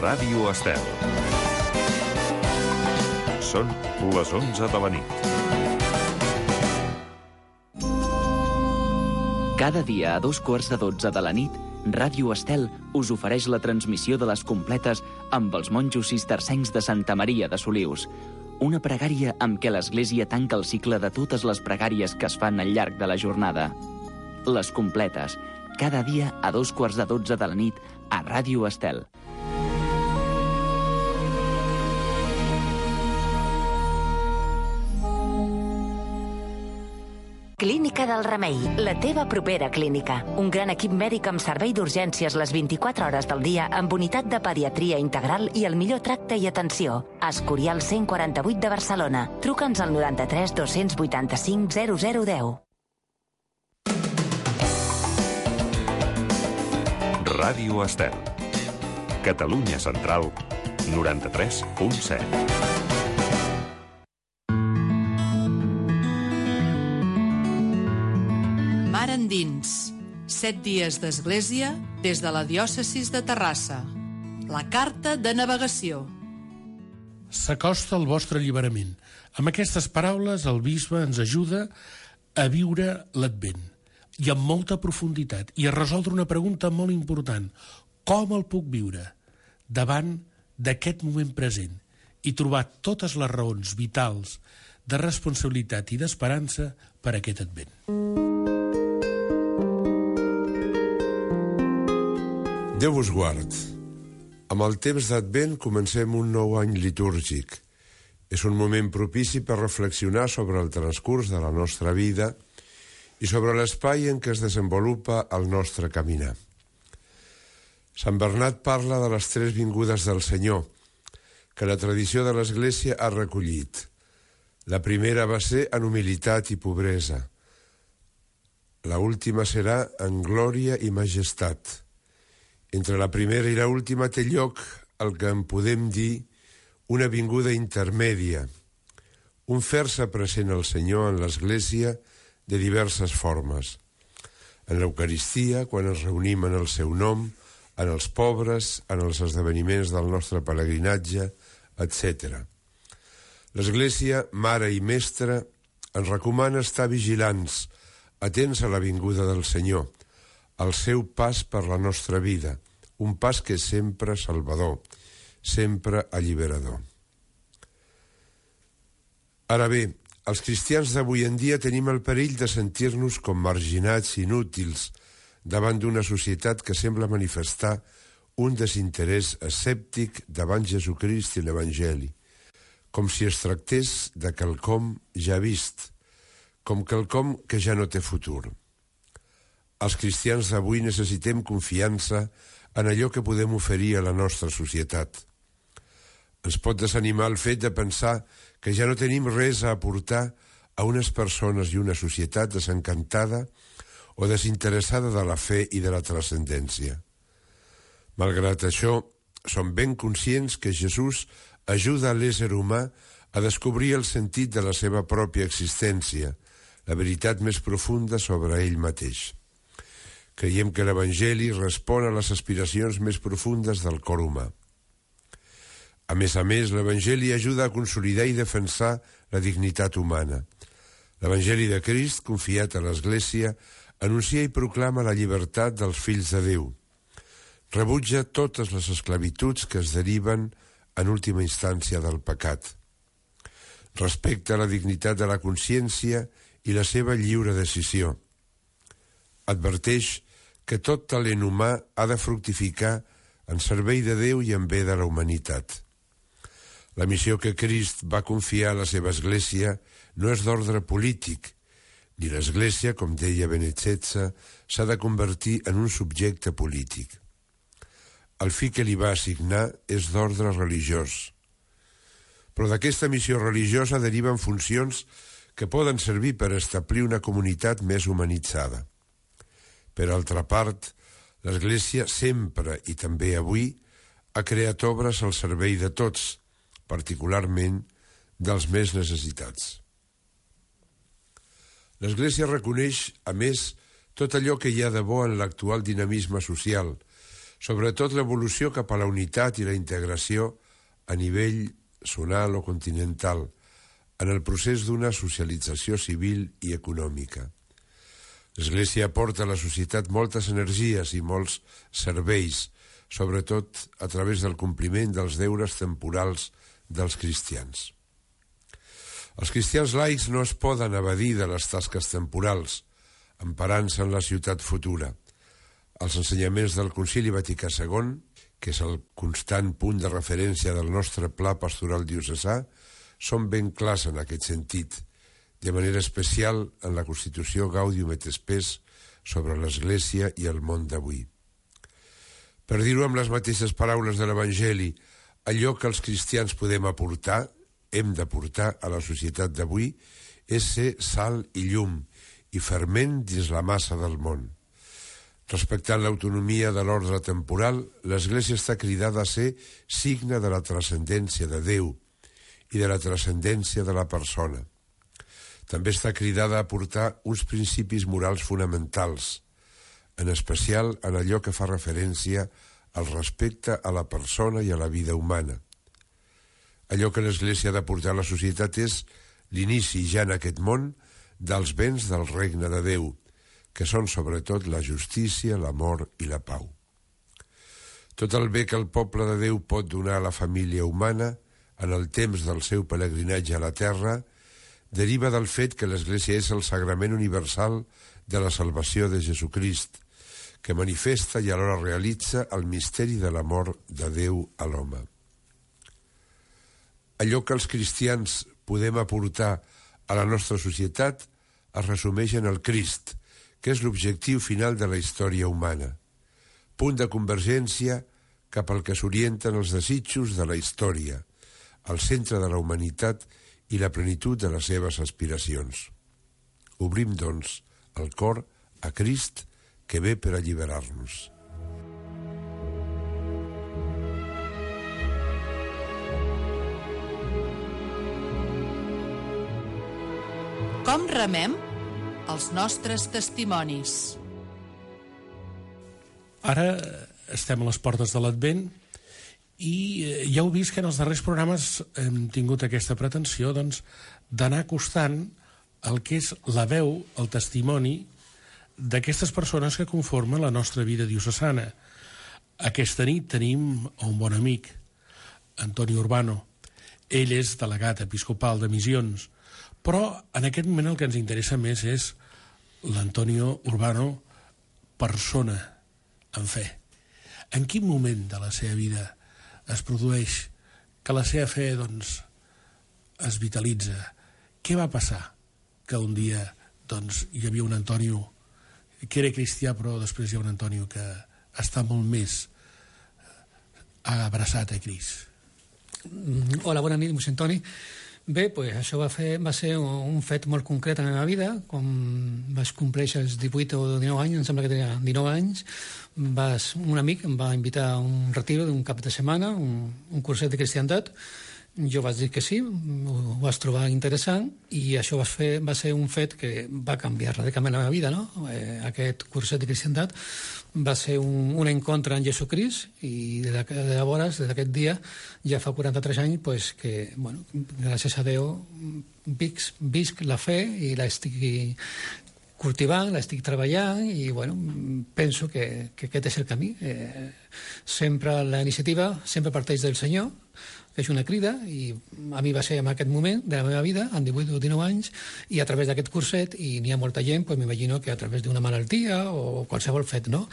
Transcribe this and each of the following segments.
Ràdio Estel. Són les 11 de la nit. Cada dia a 2:15 de la nit, Ràdio Estel us ofereix la transmissió de les completes amb els monjos cistercencs de Santa Maria de Solius. Una pregària amb què l'Església tanca el cicle de totes les pregàries que es fan al llarg de la jornada. Les completes, cada dia a 2:15 de la nit a Ràdio Estel. Clínica del Remei, la teva propera clínica. Un gran equip mèdic amb servei d'urgències les 24 hores del dia amb unitat de pediatria integral i el millor tracte i atenció. Escorial 148 de Barcelona. Truca'ns al 93 285 0010. Ràdio Estel. Catalunya Central, 93.7. Mar endins. 7 dies d'església des de la diòcesis de Terrassa. La carta de navegació. S'acosta el vostre alliberament. Amb aquestes paraules, el bisbe ens ajuda a viure l'Advent, i amb molta profunditat, i a resoldre una pregunta molt important. Com el puc viure davant d'aquest moment present i trobar totes les raons vitals de responsabilitat i d'esperança per a aquest Advent? Déu vos guard. Amb el temps d'Advent comencem un nou any litúrgic. És un moment propici per reflexionar sobre el transcurs de la nostra vida i sobre l'espai en què es desenvolupa el nostre caminar. Sant Bernat parla de les 3 vingudes del Senyor, que la tradició de l'Església ha recollit. La primera va ser en humilitat i pobresa. La última serà en glòria i majestat. Entre la primera i la última té lloc el que en podem dir una vinguda intermèdia, un fer-se present al Senyor en l'Església de diverses formes. En l'Eucaristia, quan ens reunim en el seu nom, en els pobres, en els esdeveniments del nostre pelegrinatge, etc. L'Església, mare i mestra, ens recomana estar vigilants, atents a la vinguda del Senyor, al seu pas per la nostra vida, un pas que és sempre salvador, sempre alliberador. Ara bé, els cristians d'avui en dia tenim el perill de sentir-nos com marginats i inútils davant d'una societat que sembla manifestar un desinterès escèptic davant Jesucrist i l'Evangeli, com si es tractés de quelcom ja vist, com quelcom que ja no té futur. Els cristians d'avui necessitem confiança en allò que podem oferir a la nostra societat. Ens pot desanimar el fet de pensar que ja no tenim res a aportar a unes persones i una societat desencantada o desinteressada de la fe i de la transcendència. Malgrat això, som ben conscients que Jesús ajuda a l'ésser humà a descobrir el sentit de la seva pròpia existència, la veritat més profunda sobre ell mateix. Creiem que l'Evangeli respon a les aspiracions més profundes del cor humà. A més, l'Evangeli ajuda a consolidar i defensar la dignitat humana. L'Evangeli de Crist, confiat a l'Església, anuncia i proclama la llibertat dels fills de Déu. Rebutja totes les esclavituds que es deriven, en última instància, del pecat. Respecta la dignitat de la consciència i la seva lliure decisió. Adverteix que tot talent humà ha de fructificar en servei de Déu i en bé de la humanitat. La missió que Crist va confiar a la seva Església no és d'ordre polític, ni l'Església, com deia Benet XVI, s'ha de convertir en un subjecte polític. El fi que li va assignar és d'ordre religiós. Però d'aquesta missió religiosa deriven funcions que poden servir per establir una comunitat més humanitzada. Per altra part, l'Església sempre, i també avui, ha creat obres al servei de tots, particularment dels més necessitats. L'Església reconeix, a més, tot allò que hi ha de bo en l'actual dinamisme social, Sobretot l'evolució cap a la unitat i la integració a nivell zonal o continental, en el procés d'una socialització civil i econòmica. L'Església aporta a la societat moltes energies i molts serveis, sobretot a través del compliment dels deures temporals dels cristians. Els cristians laics no es poden evadir de les tasques temporals, emparant-se en la ciutat futura. Els ensenyaments del Concili Vaticà II, que és el constant punt de referència del nostre pla pastoral diocesà, són ben clars en aquest sentit, de manera especial en la Constitució Gaudium et Spes sobre l'Església i el món d'avui. Per dir-ho amb les mateixes paraules de l'Evangeli, allò que els cristians podem aportar, hem d'aportar a la societat d'avui, és ser sal i llum i ferment dins la massa del món. Respectant l'autonomia de l'ordre temporal, l'Església està cridada a ser signe de la transcendència de Déu i de la transcendència de la persona. També està cridada a aportar uns principis morals fonamentals, en especial en allò que fa referència al respecte a la persona i a la vida humana. Allò que l'Església ha d'aportar a la societat és l'inici ja en aquest món dels béns del regne de Déu, que són sobretot la justícia, l'amor i la pau. Tot el bé que el poble de Déu pot donar a la família humana en el temps del seu pelegrinatge a la terra deriva del fet que l'Església és el sagrament universal de la salvació de Jesucrist, que manifesta i alhora realitza el misteri de l'amor de Déu a l'home. Allò que els cristians podem aportar a la nostra societat es resumeix en el Crist, que és l'objectiu final de la història humana, punt de convergència cap al que s'orienten els desitjos de la història, al centre de la humanitat i la plenitud de les seves aspiracions. Obrim, doncs, el cor a Crist, que ve per alliberar-nos. Com remem els nostres testimonis? Ara estem a les portes de l'Advent i ja heu vist que en els darrers programes hem tingut aquesta pretensió d'anar acostant el que és la veu, el testimoni d'aquestes persones que conformen la nostra vida diocesana. Aquesta nit tenim un bon amic, Antoni Urbano. Ell és delegat episcopal de Missions, però en aquest moment el que ens interessa més és l'Antonio Urbano, persona en fe. En quin moment de la seva vida es produeix que la seva fe es vitalitza? Què va passar? Que un dia hi havia un Antonio que era cristià, però després hi ha un Antonio que està molt més abraçat a Crist. Hola, bona nit, mossèn Toni. Bé, això va ser un fet molt concret en la meva vida. Quan vaig complèixer els 18 o 19 anys, em sembla que tenia 19 anys, un amic em va invitar a un retiro d'un cap de setmana, un curset de cristiandat. Jo vaig dir que sí, ho vaig trobar interessant i això va ser un fet que va canviar radicalment la meva vida, no? Aquest curset de cristiandat va ser un encontre amb Jesucrist i llavors, des d'aquest dia, ja fa 43 anys, que, gràcies a Déu, visc la fe i l'estic cultivant, l'estic treballant i, penso que aquest és el camí. Sempre la iniciativa sempre parteix del Senyor, que és una crida, i a mi va ser en aquest moment de la meva vida, amb 18 o 19 anys, i a través d'aquest curset, i n'hi ha molta gent, m'imagino que a través d'una malaltia o qualsevol fet, no?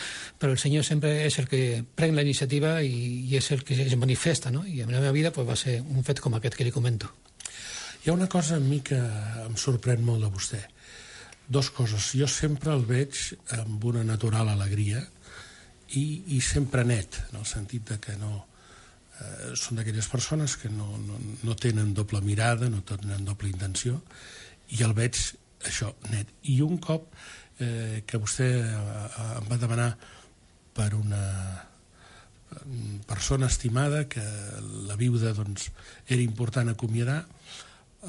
Però el Senyor sempre és el que pren la iniciativa i és el que es manifesta, no? I en la meva vida va ser un fet com aquest que li comento. Hi ha una cosa a mi que em sorprèn molt de vostè. Dos coses. Jo sempre el veig amb una natural alegria i sempre net, en el sentit de que no... són d'aquelles persones que no tenen doble mirada, no tenen doble intenció, i el veig això, net. I un cop que vostè em va demanar per una persona estimada que la viuda era important acomiadar,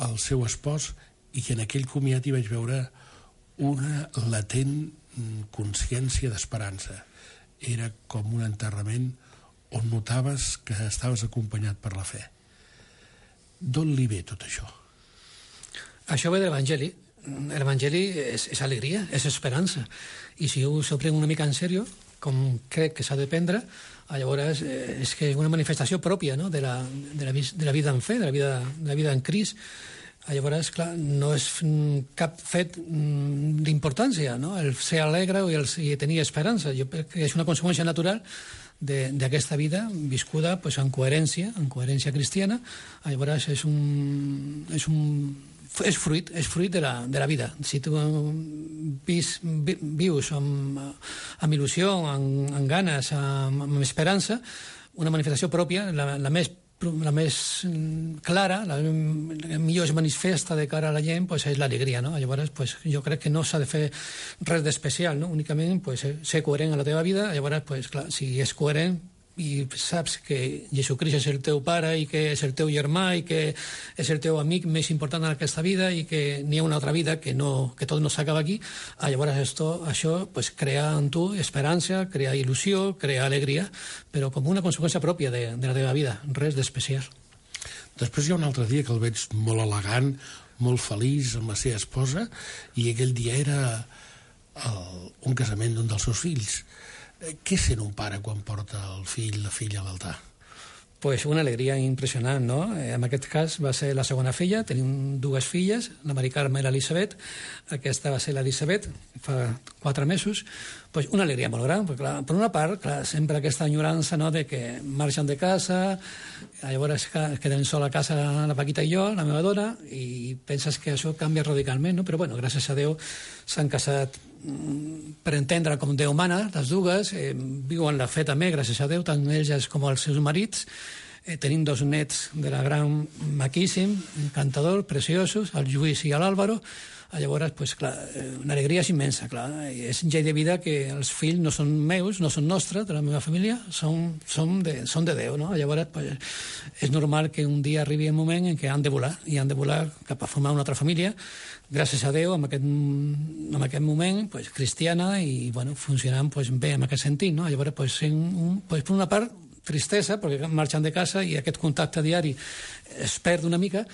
el seu espòs, i en aquell comiat hi vaig veure una latent consciència d'esperança. era com un enterrament on notaves que estaves acompanyat per la fe. D'on li ve tot això? Això ve de l'Evangeli. L'Evangeli és alegria, és esperança. I si ho s'ho pren una mica en sèrio, com crec que s'ha de prendre, llavors és que és una manifestació pròpia, no? de la vida en fe, de la vida en Crist. Llavors, clar, no és cap fet d'importància, no? El ser alegre i tenir esperança. Jo crec que és una conseqüència natural d'aquesta vida viscuda pues, en coherència cristiana. Llavors és fruit de la vida. Si tu vius amb il·lusió, amb ganes, amb esperança, una manifestació pròpia, la més clara, la millor es manifesta de cara a la gent, pues, és l'alegria, no? Llavors, pues, jo crec que no s'ha de fer res d'especial, no? Únicament pues, ser coherent a la teva vida. Llavors, pues, clar, si és coherent i saps que Jesucrist és el teu pare i que és el teu germà i que és el teu amic més important en aquesta vida i que n'hi ha una altra vida que tot no s'acaba aquí, llavors això pues, crea en tu esperança, crea il·lusió, crea alegria, però com una conseqüència pròpia de la teva vida, res d'especial. Després hi ha un altre dia que el veig molt elegant, molt feliç amb la seva esposa, i aquell dia era un casament d'un dels seus fills. Què sent un pare quan porta el fill, la filla a l'altar? Pues una alegria impressionant, no? En aquest cas va ser la segona filla, tenim dues filles, la Mari Carme i l'Elisabet. Aquesta va ser l'Elisabet, fa 4 mesos. Pues una alegria molt gran, perquè, clar, per una part, clar, sempre aquesta enyorança, no?, de que marxen de casa, llavors queden sola a casa la Paquita i jo, la meva dona, i penses que això canvia radicalment, no? Però, bueno, gràcies a Déu s'han casat per entendre com Déu mana, les dues, viuen la fe també, gràcies a Déu, tant ells com els seus marits. Tenim 2 nets de la gran maquíssim, encantador, preciosos, el Lluís i l'Àlvaro. Llavors, pues, clar, una alegria és immensa, clar. És un llei de vida que els fills no són meus, no són nostres, de la meva família, són de Déu, no? Llavors, pues, és normal que un dia arribi un moment en què han de volar, i han de volar cap a formar una altra família, gràcies a Déu, en aquest moment, pues, cristiana, i, bueno, funcionant pues, bé en aquest sentit, no? Llavors, pues, per una part, tristesa, perquè marxen de casa i aquest contacte diari es perd una mica,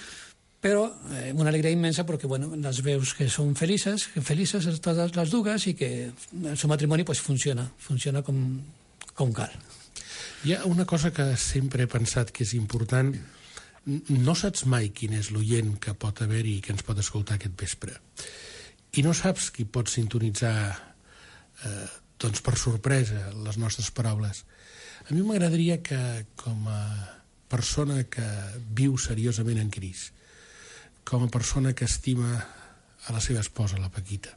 però una alegria immensa perquè, bueno, les veus que són felices totes les dues, i que el seu matrimoni pues, funciona com cal. Hi ha una cosa que sempre he pensat que és important. No saps mai quin és l'oient que pot haver-hi i que ens pot escoltar aquest vespre. I no saps qui pot sintonitzar doncs per sorpresa les nostres paraules. A mi m'agradaria que, com a persona que viu seriosament en Crist, com a persona que estima a la seva esposa, la Paquita,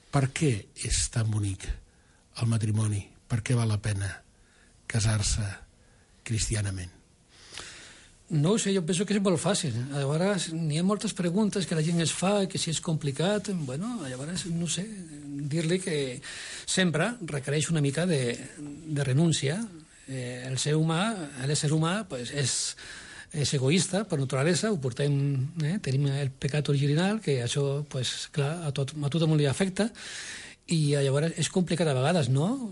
per què és tan bonic el matrimoni? Per què val la pena casar-se cristianament? No ho sé, jo penso que és molt fàcil. Llavors, n'hi ha moltes preguntes que la gent es fa, que si és complicat, bueno, llavors, no sé, dir-li que sempre requereix una mica de renúncia. L'ésser humà pues, és egoista per naturalesa, ho portem, tenim el pecat original, que això, pues, clar, a tothom li afecta, i llavors és complicat a vegades, no?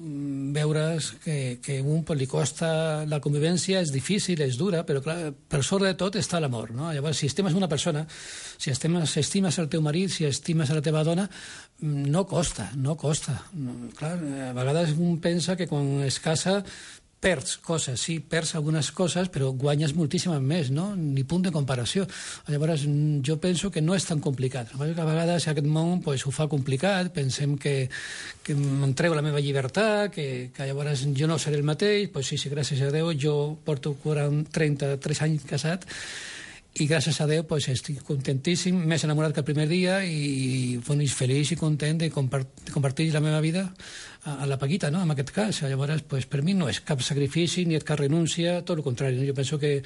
Veure's que un li costa la convivència, és difícil, és dura, però clar, per sobre de tot està l'amor, no? Llavors, si estimes una persona, si estimes el teu marit, si estimes la teva dona, no costa. Clar, a vegades un pensa que quan es casa perds coses, sí, perds algunes coses, però guanyes moltíssimes més, no? Ni punt de comparació. Llavors, jo penso que no és tan complicat. A vegades aquest món pues, ho fa complicat, pensem que m'entrego la meva llibertat, que llavors jo no seré el mateix, pues sí, gràcies a Déu, jo porto 33 anys casat, i gràcies a Déu pues, estic contentíssim, més enamorat que el primer dia, i feliç i content de compartir la meva vida a la Paquita, no? En aquest cas. Llavors, pues, per mi no és cap sacrifici ni és cap renúncia, tot el contrari. Jo penso que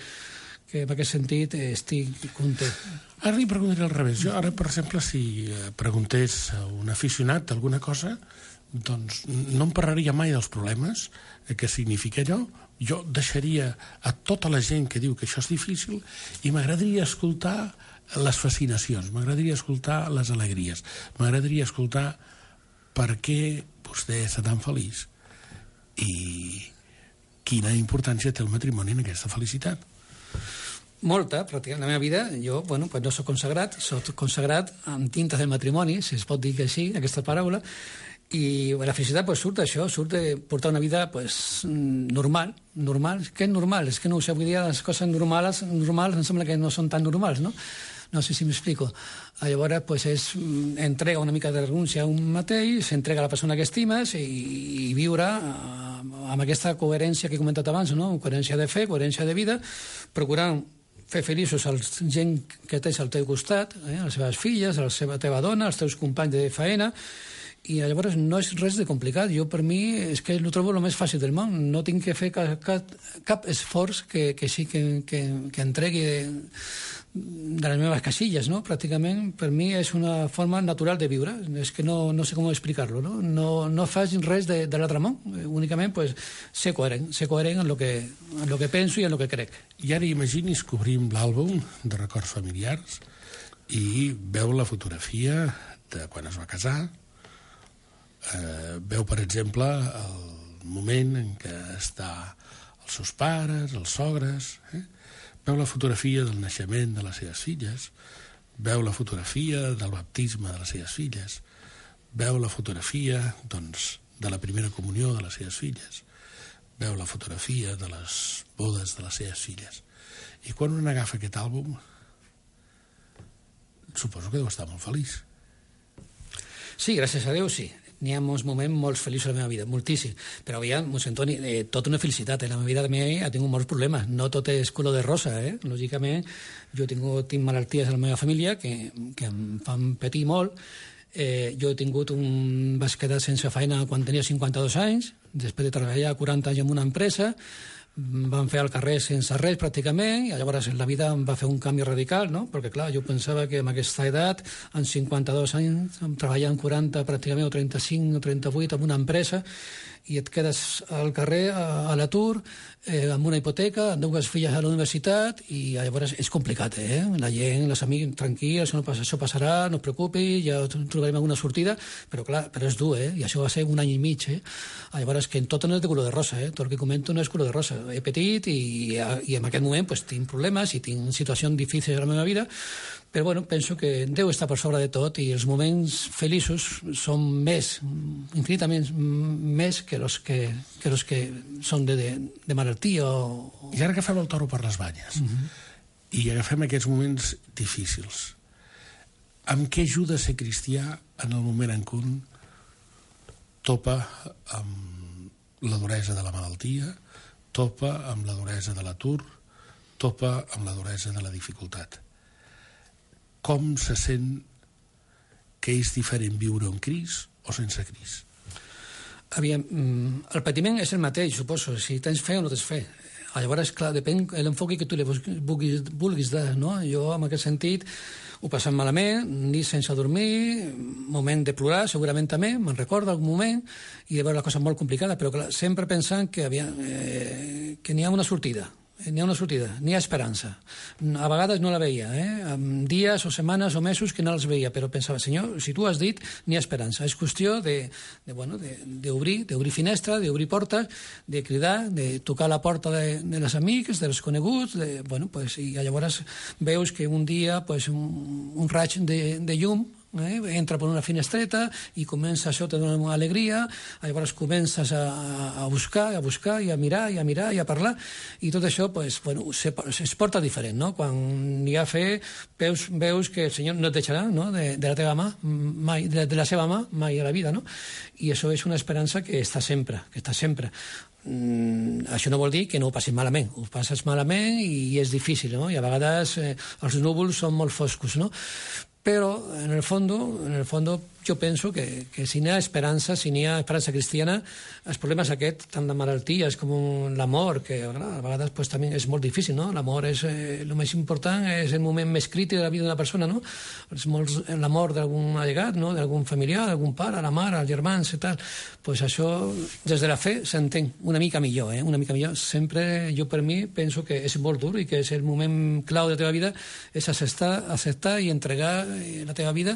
en aquest sentit estic content. Ara li preguntaré al revés. Jo ara, per exemple, si preguntés a un aficionat alguna cosa, doncs no em parlaria mai dels problemes, què significa allò. Jo deixaria a tota la gent que diu que això és difícil i m'agradaria escoltar les fascinacions, m'agradaria escoltar les alegries, m'agradaria escoltar per què vostè està tan feliç i quina importància té el matrimoni en aquesta felicitat. Molta, pràcticament. La meva vida, jo, bueno, pues no soc consagrat amb tintes del matrimoni, si es pot dir que sí, aquesta paraula, i la felicitat pues, surt d'això, surt de portar una vida pues, normal. Què és normal? És que no ho sé, avui dia les coses normals em sembla que no són tan normals, no? No sé si m'explico. Llavors, pues, entrega una mica de renúncia a un mateix, s'entrega a la persona que estimes i viure amb aquesta coherència que he comentat abans, no? Coherència de fe, coherència de vida, procurant fer feliços a la gent que tens al teu costat, les seves filles, a la teva dona, als teus companys de faena, i llavors no és res de complicat. Jo, per mi, és que ho trobo el més fàcil del món. No tinc que fer cap esforç que sí que entregui de les meves casilles, no? Pràcticament, per mi, és una forma natural de viure. És que no sé com explicar-lo, no? No faig res de l'altre món. Únicament, pues, ser coherent en lo que penso i en lo que crec. I ara imagini's que obrim l'àlbum de records familiars i veu la fotografia de quan es va casar, veu, per exemple, el moment en què està els seus pares, els sogres, veu la fotografia del naixement de les seves filles, veu la fotografia del baptisme de les seves filles, veu la fotografia, doncs, de la primera comunió de les seves filles, veu la fotografia de les bodes de les seves filles. I quan un agafa aquest àlbum, suposo que deu estar molt feliç. Sí, gràcies a Déu, sí. N'hi ha molts moments molt feliços a la meva vida, moltíssim. Però aviam, Mossèn Toni, tota una felicitat. La meva vida també ha tingut molts problemes. No tot és color de rosa, Lògicament, jo tinc malalties a la meva família que em fan patir molt. Jo vaig quedar sense feina quan tenia 52 anys, després de treballar 40 anys en una empresa, vam fer al carrer sense res pràcticament, i llavors la vida em va fer un canvi radical, no? Perquè clar, jo pensava que amb aquesta edat, amb 52 anys, treballant 40 pràcticament, o 35 o 38 en una empresa, i et quedes al carrer a l'atur, amb una hipoteca, amb dues filles a la universitat, i llavors és complicat, La gent, els amics, tranquils, això passarà, no es preocupi, ja trobarem alguna sortida, però clar, és dur, I això va ser un any i mig, Llavors, que tot no és de color de rosa, Tot el que comento no és color de rosa. He petit i en aquest moment pues, tinc problemes i tinc situacions difícils a la meva vida, però bueno, penso que Déu està per sobre de tot i els moments feliços són infinitament més que els que són de malaltia o... I ara agafem el toro per les banyes i agafem aquests moments difícils. Amb què ajuda a ser cristià en el moment en què un topa amb la duresa de la malaltia, topa amb la duresa de l'atur, topa amb la duresa de la dificultat? Com se sent que és diferent viure amb Crist o sense Crist? Aviam, el patiment és el mateix, suposo, si tens fe o no tens fe. Llavors, clar, depèn de l'enfoc que tu li vulguis dar, no? Jo, en aquest sentit, ho passat malament, nit sense dormir, moment de plorar, segurament també, me'n recordo algun moment, i de veure la cosa molt complicada, però clar, sempre pensant que n'hi ha una sortida. N'hi ha esperança. A vegades no la veia, amb dies o setmanes o mesos que no els veia, però pensava, senyor, si tu has dit, n'hi ha esperança. És qüestió d'obrir finestra, d'obrir portes, de cridar, de tocar la porta de les amics, dels coneguts, i llavors veus que un dia un raig de llum entra per una finestreta i comença, això te dona una alegria, llavors comences a buscar i a mirar i a parlar, i tot això es porta diferent, no? Quan n'hi ha fe, veus que el Senyor no et deixarà, no? de la teva mà mai, de la seva mà mai a la vida, no? I això és una esperança que està sempre. Això no vol dir que no ho passis malament, ho passes malament i és difícil, no? I a vegades els núvols són molt foscos, no? Però, en el fondo, jo penso que si n'hi ha esperança cristiana, els problemes aquests, tant de malalties com l'amor, que a vegades també és molt difícil, no? L'amor és el més important, és el moment més crític de la vida d'una persona, no? L'amor d'algun allegat, no? D'algun familiar, d'algun pare, la mare, els germans i tal. Doncs això, des de la fe, s'entén una mica millor, una mica millor. Sempre, jo per mi, penso que és molt dur i que és el moment clau de la teva vida, és acceptar i entregar la teva vida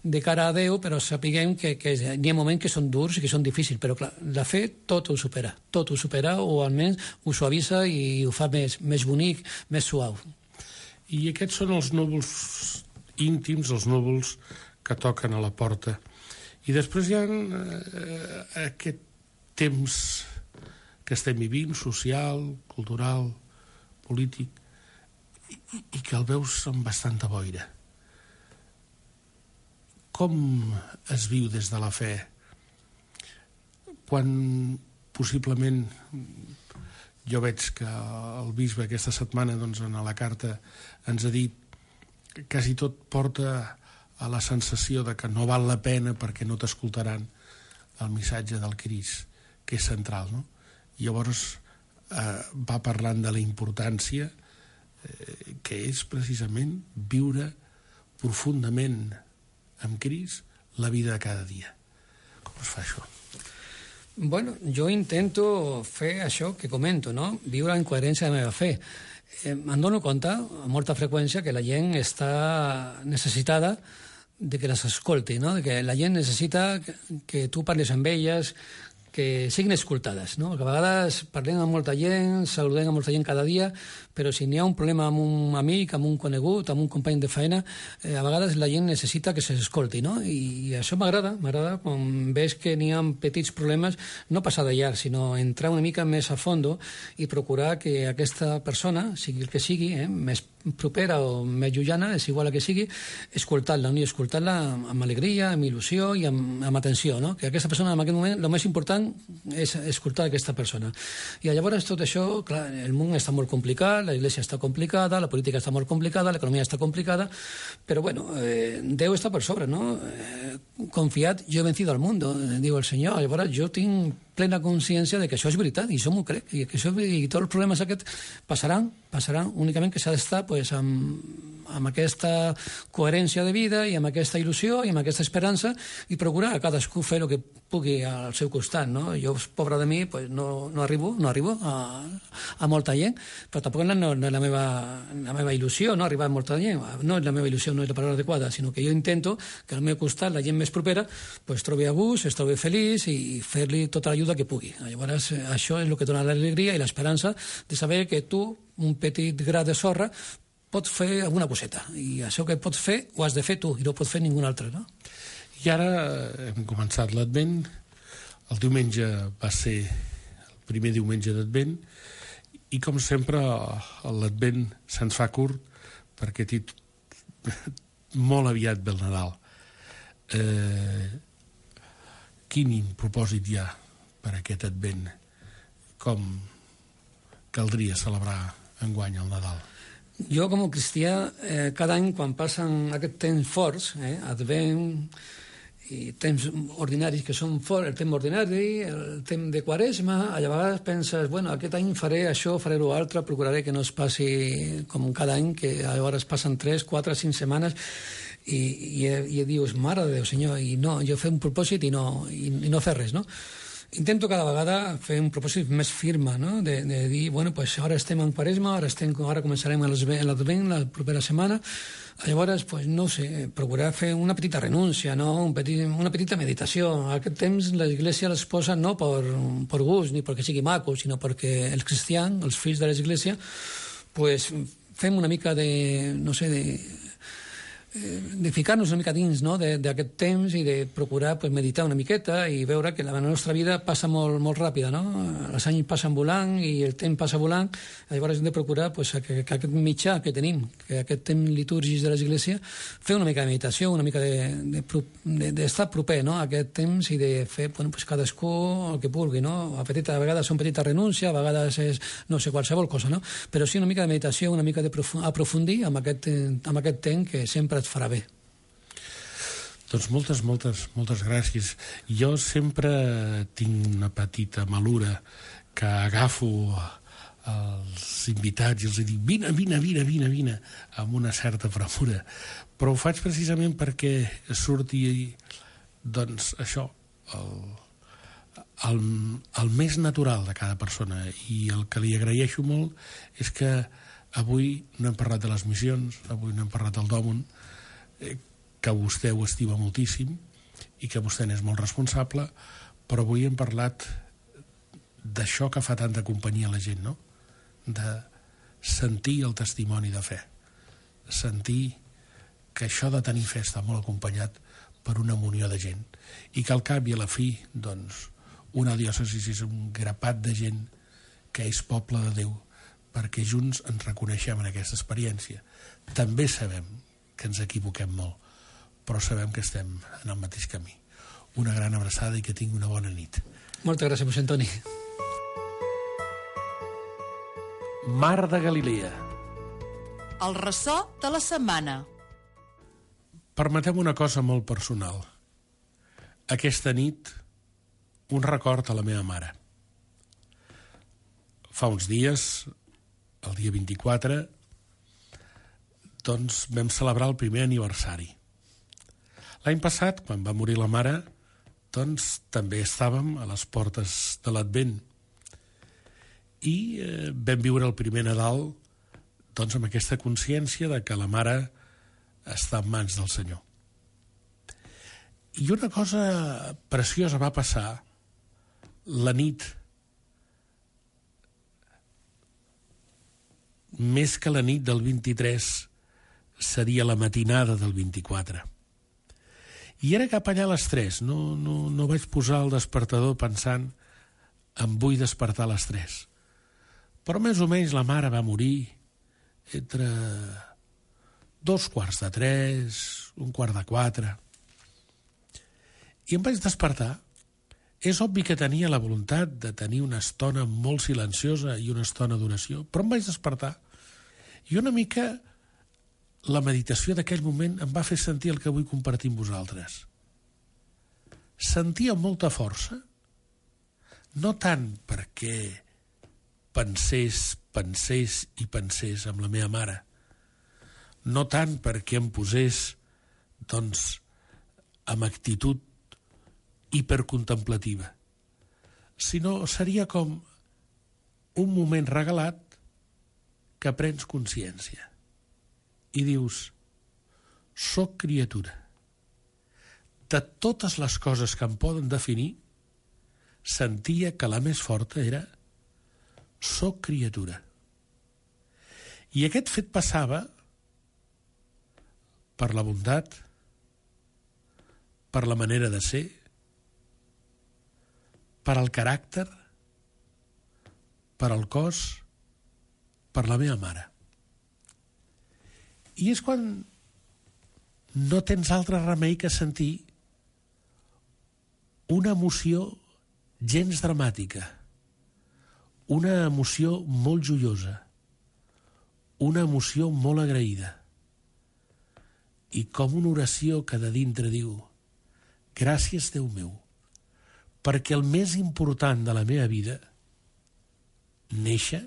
de cara a Déu, però sapiguem que hi ha moments que són durs i que són difícils, però clar, la fe tot ho supera, o almenys ho suavisa i ho fa més bonic, més suau. I aquests són els núvols íntims, els núvols que toquen a la porta. I després hi ha aquest temps que estem vivint, social, cultural, polític, i que el veus amb bastanta boira. Com es viu des de la fe quan possiblement jo veig que el bisbe aquesta setmana doncs, en la carta ens ha dit que quasi tot porta a la sensació de que no val la pena perquè no t'escoltaran el missatge del Crist, que és central, no? I llavors va parlant de la importància que és precisament viure profundament amb Crist la vida de cada dia. Com es fa això? Bueno, jo intento fer això que comento, no? Viure en coherència de la meva fe. Em dono compte, amb molta freqüència, que la gent està necessitada de que les escolti, no? De que la gent necessita que tu parles amb elles, que siguin escoltades, no? Que a vegades parlem amb molta gent, saludem a molta gent cada dia, però si n'hi ha un problema amb un amic, amb un conegut, amb un company de feina, a vegades la gent necessita que s'escolti, no? I això m'agrada quan veig que n'hi ha petits problemes, no passar de llarg, sinó entrar una mica més a fondo i procurar que aquesta persona, sigui el que sigui, més propera o més llunyana, és igual a que sigui, escoltar-la, no? I escoltar-la amb alegria, amb il·lusió i amb atenció, no? Que aquesta persona en aquest moment, el més important és escoltar aquesta persona. I llavors tot això, clar, el món està molt complicat, la Iglesia està complicada, la política està molt complicada, l'economia està complicada, però bueno, Déu està per sobre, no? Confiat, jo he vencido al mundo, diu el Senyor. Llavors jo tinc plena consciència de que això és veritat, i això m'ho crec, i que això, i tots els problemes aquests passaran, únicament que s'ha d'estar pues, amb aquesta coherència de vida i amb aquesta il·lusió i amb aquesta esperança i procurar a cadascú fer el que pugui al seu costat, no? Jo, pobre de mi, pues, no arribo a molta gent, però tampoc no és la meva il·lusió, no arribar a molta gent, no és la meva il·lusió, no és la paraula adequada, sinó que jo intento que al meu costat la gent més propera pues, trobi a gust, es trobi feliç i fer-li tota l'ajuda que pugui. Llavors, això és el que dona l'alegria i l'esperança de saber que tu, un petit gra de sorra, pots fer alguna coseta. I això que pots fer, ho has de fer tu, i no ho pot fer ningú altre, no? I ara hem començat l'Advent. El diumenge va ser el primer diumenge d'Advent i, com sempre, l'Advent se'ns fa curt perquè molt aviat ve el Nadal. Quin propòsit hi ha per aquest Advent? Com caldria celebrar enguany el Nadal? Jo, com a cristià, cada any, quan passen aquest temps forts, Advent i temps ordinaris que són forts, el temps ordinari, el temps de Quaresma, a vegades penses, bueno, aquest any faré això, faré l'altre, procuraré que no es passi com cada any, que a vegades passen 3, 4, 5 setmanes, i dius, mare de Déu, Senyor, i no, jo fer un propòsit i no fer res, no? Intento cada vegada fer un propòsit més firme, no? De dir, bueno, pues ara estem en Quaresma, ara començarem l'Advent la propera setmana, llavors, pues, no sé, procurar fer una petita renúncia, no? Una petita meditació. A aquest temps l'Església les posa no per gust ni perquè sigui maco, sinó perquè els cristians, els fills de l'Església, pues, fem una mica de, no sé, de ficar-nos una mica dins, no? d'aquest temps i de procurar pues, meditar una miqueta i veure que la nostra vida passa molt, molt ràpida, no? Els anys passen volant i el temps passa volant, llavors hem de procurar pues, que aquest mitjà que tenim, que aquest temps litúrgic de l'Església, fer una mica de meditació, una mica d'estar proper, no? A aquest temps i de fer bueno, pues, cadascú el que vulgui, no? A vegades són petites renúncies, a vegades és, no sé, qualsevol cosa, no? Però sí una mica de meditació, una mica d'aprofundir amb aquest temps que sempre et farà bé. Doncs moltes gràcies. Jo sempre tinc una petita malura que agafo els invitats i els dic vine amb una certa premura, però ho faig precisament perquè surti doncs això el més natural de cada persona, i el que li agraeixo molt és que avui no hem parlat de les missions, avui no hem parlat del Dòmon, que vostè ho estima moltíssim, i que vostè n'és molt responsable, però avui hem parlat d'això que fa tanta companyia a la gent, no? De sentir el testimoni de fe, sentir que això de tenir fe està molt acompanyat per una munió de gent i que al cap i a la fi, doncs, una diòcesi és un grapat de gent que és poble de Déu, perquè junts ens reconeixem en aquesta experiència. També sabem que ens equivoquem molt, però sabem que estem en el mateix camí. Una gran abraçada i que tingui una bona nit. Moltes gràcies, mossèn Toni. Mar de Galilea. El ressò de la setmana. Permetem una cosa molt personal. Aquesta nit, un record a la meva mare. Fa uns dies, el dia 24, doncs vam celebrar el primer aniversari. L'any passat, quan va morir la mare, doncs també estàvem a les portes de l'Advent i vam viure el primer Nadal doncs amb aquesta consciència de que la mare està en mans del Senyor. I una cosa preciosa va passar la nit, més que la nit del 23 seria la matinada del 24. I era cap allà a les 3, no vaig posar el despertador pensant em vull despertar a les 3. Però més o menys la mare va morir entre 2:45, 3:45. I em vaig despertar. És obvi que tenia la voluntat de tenir una estona molt silenciosa i una estona d'oració, però em vaig despertar. I una mica la meditació d'aquell moment em va fer sentir el que vull compartir amb vosaltres. Sentia molta força, no tant perquè pensés amb la meva mare, no tant perquè em posés, doncs, amb actitud hipercontemplativa, sinó seria com un moment regalat que prens consciència i dius, soc criatura. De totes les coses que em poden definir, sentia que la més forta era soc criatura. I aquest fet passava per la bondat, per la manera de ser, per al caràcter, per al cos, per la meva mare. I és quan no tens altre remei que sentir una emoció gens dramàtica, una emoció molt joiosa, una emoció molt agraïda, i com una oració que de dintre diu gràcies, Déu meu, perquè el més important de la meva vida, néixer,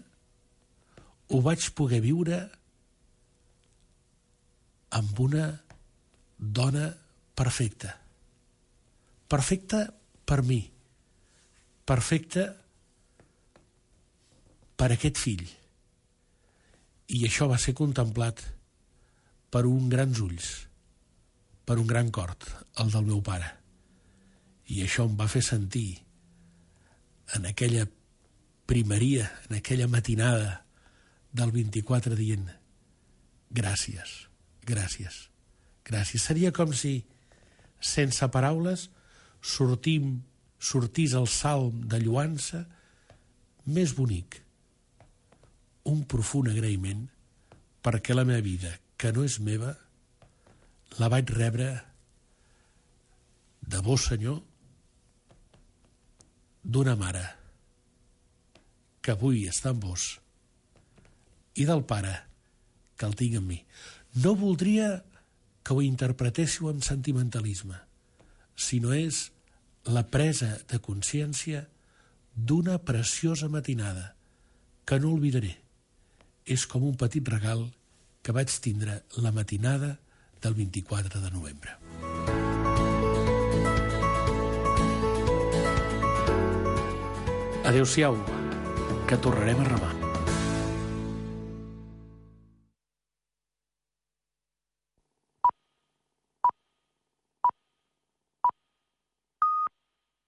ho vaig poder viure amb una dona perfecta. Perfecta per mi. Perfecta per aquest fill. I això va ser contemplat per uns grans ulls, per un gran cor, el del meu pare. I això em va fer sentir en aquella primeria, en aquella matinada del 24 dient gràcies, gràcies, gràcies. Seria com si, sense paraules, sortís el salm de lloança més bonic, un profund agraïment perquè la meva vida, que no és meva, la vaig rebre de vos, Senyor, d'una mare que avui està amb vos i del pare que el tinc amb mi. No voldria que ho interpretéssiu amb sentimentalisme, sinó és la presa de consciència d'una preciosa matinada que no oblidaré. És com un petit regal que vaig tindre la matinada del 24 de novembre. Adéu-siau, que tornarem a remar.